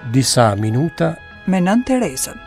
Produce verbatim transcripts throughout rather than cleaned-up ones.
Disa minuta me Nënë Terezën.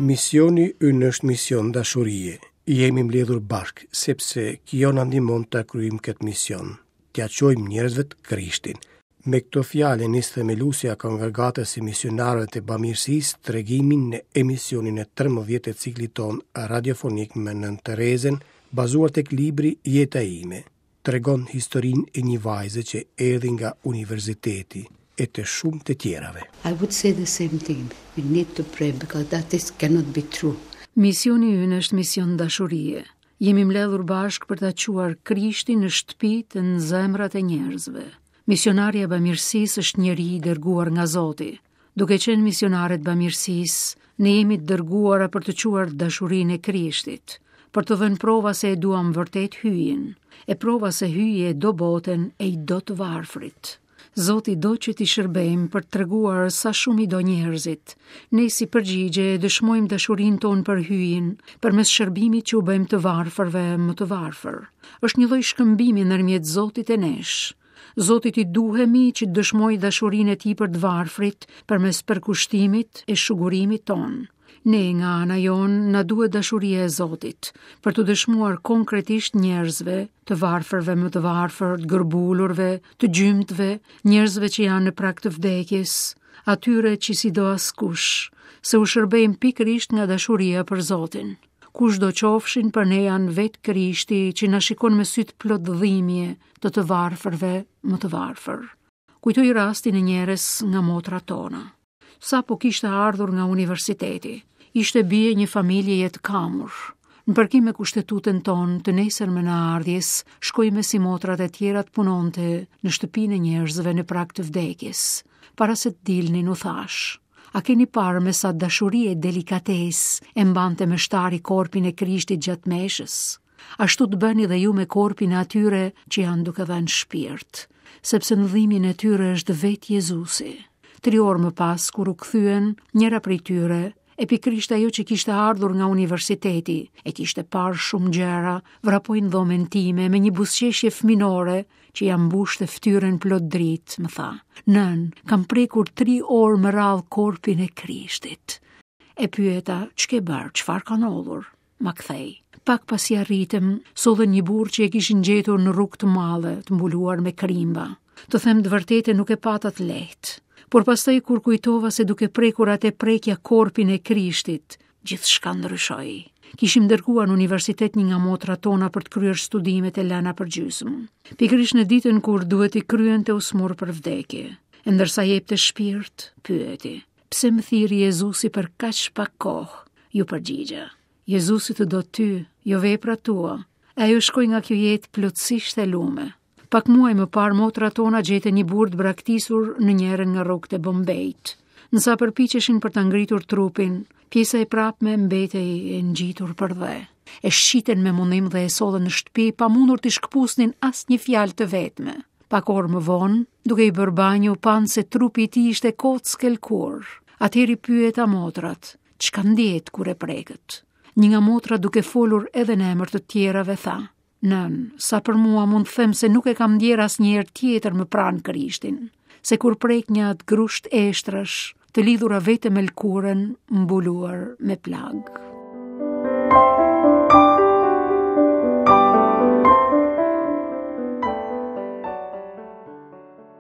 Misioni ynë është mision dashurie. Jemi mbledhur bashkë sepse kjo na ndihmon ta kryejmë këtë mision. T'ia çojmë njerëzve të Krishtin. Me këto fjalë nis themeluesja e kongregatës së misionarëve të bamirësisë tregimin në emisionin e trembëdhjetë të ciklit tonë radiofonik me Nënë Terezën, bazuar tek libri Jeta ime. Tregon historinë e një vajze që erdhi nga universiteti e të shumë të tjerave. I would say the same thing. We need to pray because that is cannot be true. Misioni ynë është mision dashurie. Jemi mbledhur bashkë për ta çuar Krishtin në shtëpitë e në zemrat e njerëzve. Misionarja e bamirësisë është njeri i dërguar nga Zoti. Duke qenë misionare të bamirësisë, ne jemi të dërguara për të çuar dashurinë e Krishtit, për të dhënë prova se e duam vërtet hyjin, e prova se hyji e do botën e i do të varfrit. Zoti do që t'i shërbejmë për të treguar sa shumë i do njerëzit. Ne si përgjigje e dëshmojmë dashurinë tonë për hyjin, përmes shërbimit që u bëjmë të varfërve më të varfër. Është një lloj shkëmbimi ndërmjet Zotit e nesh. Zotit i duhemi që të dëshmojë dashurinë e tij për të varfrit përmes përkushtimit e shugurimit tonë. Ne nga ana jonë na duhet dashuria e Zotit për të dëshmuar konkretisht njerëzve, të varfërve më të varfër, të gërbulurve, të gjymtëve, njerëzve që janë në prag të vdekjes, atyre që si do askush, se u shërbejmë pikërisht nga dashuria për Zotin. Kush do qofshin për ne janë vetë Krishti që na shikon me sytë plot dhimbje të të varfërve më të varfër. Kujtoj rastin e njerës nga motrat tona. Sapo kishte ardhur nga universiteti, ishte bie një familjeje të kamur. Në përkim me kushtetutën tonë të nesërmen e ardhjes, shkoi me si motrat e tjera të punonte në shtëpinë e njerëzve në prag të vdekjes. Para se të dilnin u thash: A keni parë me sa dashuri e delikatesë e mbante meshtari korpin e Krishtit gjatë meshës? Ashtu të bëni dhe ju me korpin e atyre që janë duke dhënë shpirt, sepse në dhimbjen e tyre është vetë Jezusi. Tri orë më pas, kur u kthyen, njëra prej tyre, e pikërisht ajo që kishte ardhur nga universiteti, e kishte parë shumë gjëra, vrapoi në dhomën time me një buzëqeshje fëminore që ja mbushte fytyrën plot dritë, më tha: Nën, kam prekur tri orë më radhë korpin e Krishtit. E pyeta: Ç'ke bërë, çfarë ka ndodhur? Ma kthej. Pak pasi arritëm, sollën një burrë që e kishin gjetur në rrugë të madhe, të mbuluar me krimba. Të them të vërtetën, nuk e pata të lehtë. Por pastaj kur kujtova se duke prekur atë prekja korpin e Krishtit, gjithçka ndryshoi. Kishim dërguar në universitet një nga motrat tona për të kryer studimet e lëna për gjysmë. Pikërisht në ditën kur duhet i kryente u smur për vdekje. E ndërsa jepte shpirt, pyeti: Pse më thirri Jezusi për kaq pak kohë? Ju përgjigja: Jezusi të do ty, jo veprat tua. E ajo shkoi nga kjo jetë plotësisht e lume. Pak muaj më parë motrat tona gjetën një burrë të braktisur në njërën nga rrugët e Bombejt. Nësa përpiqeshin për ta ngritur trupin, pjesa e prapme mbetej e ngjitur për dhe. E shqiten me mundim dhe e sollën në shtëpi pa mundur t'i shkëpusnin asnjë fjalë të vetme. Pak orë më vonë, duke i bërë banjë, u panë se trupi i tij ishte kockë e lëkurë. Atëherë i pyeta motrat: Çka ndjet kur e prekët? Një nga motrat, duke folur edhe në emër të tjerave, tha: Nën, sa për mua mund të them se nuk e kam ndjerë asnjëherë tjetër më pranë Krishtin, se kur prek një atë grusht eshtrash, të lidhura vetëm me lëkurën, mbuluar me plagë.